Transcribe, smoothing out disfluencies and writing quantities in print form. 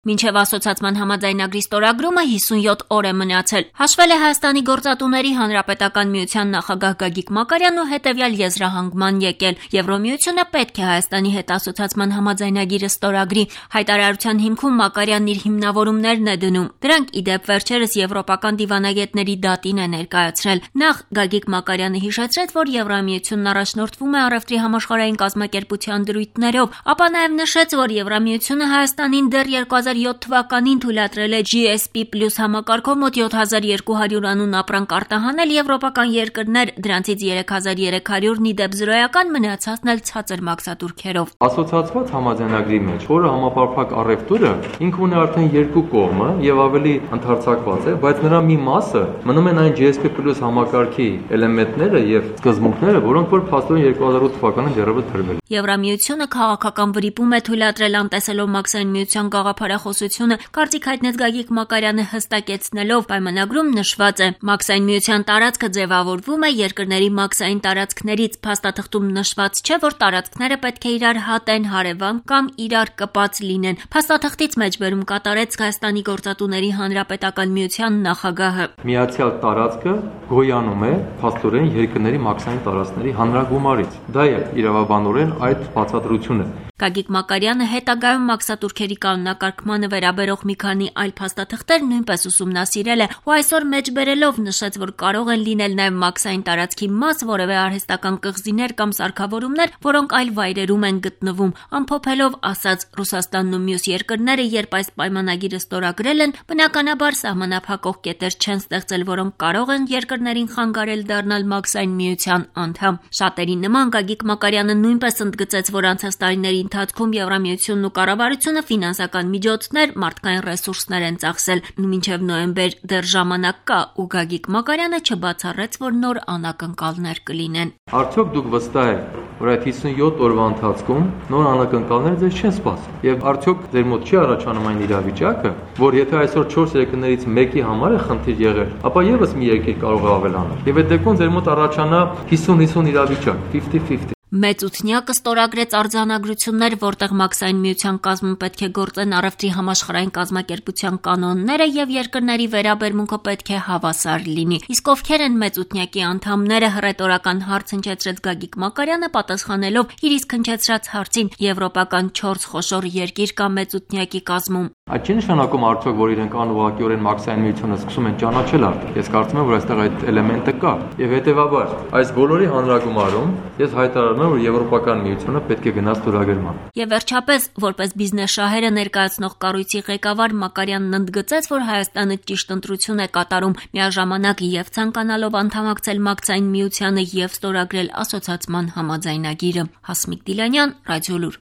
Մինչև ասոցացման համաձայնագրի ստորագրումը 57 օր է մնացել։ Հաշվել է Հայաստանի գործատուների հանրապետական միության նախագահ Գագիկ Մակարյանն ու հետևյալ եզրահանգման եկել. Եվրոմիությունը պետք է Հայաստանի հետ ասոցացման համաձայնագիրը ստորագրի։ Հայտարարության հիմքում Մակարյանն իր հիմնավորումներն է դնում։ Դրանք ի դեպ վերջերս եվրոպական դիվանագետների դատին է ներկայացրել։ Նախ Գագիկ Մակարյանը հիշեցրեց, որ Եվրամիությունն առաջնորդվում է առևտրի համաշխարհային կազմակերպության դրույթներով, ապա նաև նշեց, որ Եվրամիությունը Հայաստանին դեռ 2007 թվականին թույլատրել է GSP+ համակարգով մոտ 7200 անուն ապրանք արտահանել եվրոպական երկրներ, դրանցից 3300-ն ի դեպ զրոյական, մնացածն էլ ցածր մաքսատուրքերով։ Ասոցացված համաձայնագրի մեջ, որը համապարփակ առևտուրը, ինքը ունի արդեն երկու կողմը եւ ավելի ընդարձակված է, բայց նրա մի մասը մնում են այն GSP+ համակարգի էլեմենտները եւ սկզբունքները, որոնք որ փաստորեն 2008 թվականին դեռևս դրվել են։ Եվրամիությունը քաղաքական վրիպում է թույլատրել անտեսելով Մաքսային միության գաղափարախոսությունը, կարծիք հայտնեց Գագիկ Մակարյանը հստակեցնելով պայմանագրում նշված է. Մաքսային միության տարածքը ձևավորվում է երկրների մաքսային տարածքներից, փաստաթղթում նշված չէ, որ տարածքները պետք է իրար հատեն, հարևան կամ իրար կպած լինեն։ Փաստաթղթից մեջբերում կատարեց Հայաստանի գործատուների հանրապետական միության նախագահը։ Միացյալ տարածքը գոյանում է փաստորեն երկրների մաքսային տարածքների հանրագումարից։ Դա է իրավաբանորեն այդ բացատրությունը։ Գագիկ Մակարյանը հետագայում մաքսատուրքերի կանոնակարգմանը վերաբերող մի քանի այլ փաստաթղթեր նույնպես ուսումնասիրել է ու այսօր մեջբերելով նշեց, որ կարող են լինել նաև մաքսային տարածքի մաս, որևէ արհեստական կղզիներ կամ սարքավորումներ, որոնք այլ վայրերում են գտնվում։ Ամփոփելով ասած, Ռուսաստանն ու մյուս երկրները, երբ այս պայմանագիրը ստորագրել են, բնականաբար սահմանափակող կետեր չեն ստեղծել, որոնք կարող են երկրներին խանգարել դառնալ մաքսային միության անդամ։ Շատերի նման Գագիկ Մակարյանը նույնպես ընդգծեց, որ անցած տարիների ընթացքում Եվրամիությունն ու կառավարությունը ֆինանսական միջոցներ, մարդկային ռեսուրսներ են ծախսել։ Մինչև նոյեմբեր դեռ ժամանակ կա, ու Գագիկ Մակարյանը չբացառեց, որ նոր անակնկալներ կլինեն։ Արդյոք դուք վստահ եք, որ այդ 57 օրվա ընթացքում նոր անակնկալներ ձեզ չեն սպասում։ Եվ արդյոք ձեր մոտ չի առաջանում այն իրավիճակը, որ եթե այսօր 4 երկրներից մեկի համար է խնդիր եղել, ապա եւս մի երկիր կարող է ավելանալ։ Եվ այդ դեպքում ձեր մոտ առաջանա 50-50 իրավիճակ, 50-50։ Մեծութնյակը ստորագրեց արձանագրություններ, որտեղ Մաքսային միության կազմում պետք է գործեն առևտրի համաշխարհային կազմակերպության կանոնները եւ երկրների վերաբերմունքը պետք է հավասար լինի։ Իսկ ովքեր են մեծութնյակի անդամները, հռետորական հարց հնչեցրեց Գագիկ Մակարյանը, պատասխանելով իր իսկ հնչեցրած հարցին՝ եվրոպական 4 խոշոր երկիր կա մեծութնյակի կազմում։ Այդ չի նշանակում արդյոք, որ իրենք անուղղակիորեն Մաքսային միությունը սկսում են ճանաչել արդյոք։ Ես կարծում եմ, որ այստեղ այդ էլեմենտը կա։ Եվ հետեւաբար, այս բոլորի հանրագումարում ես հայտարարում եմ, որ Եվրոպական միությունը պետք է գնա ստորագրման։ Եվ վերջապես, որպես բիզնես շահերը ներկայացնող կառույցի ղեկավար Մակարյանն ընդգծեց, որ Հայաստանը ճիշտ ընտրություն է կատարում, միաժամանակ եւ ցանկանալով անդամակցել Մաքսային միությանը եւ ստորագրել ասոցացման համաձայնագիրը։ Հասմիկ Դիլանյան, Ռադիոլուր։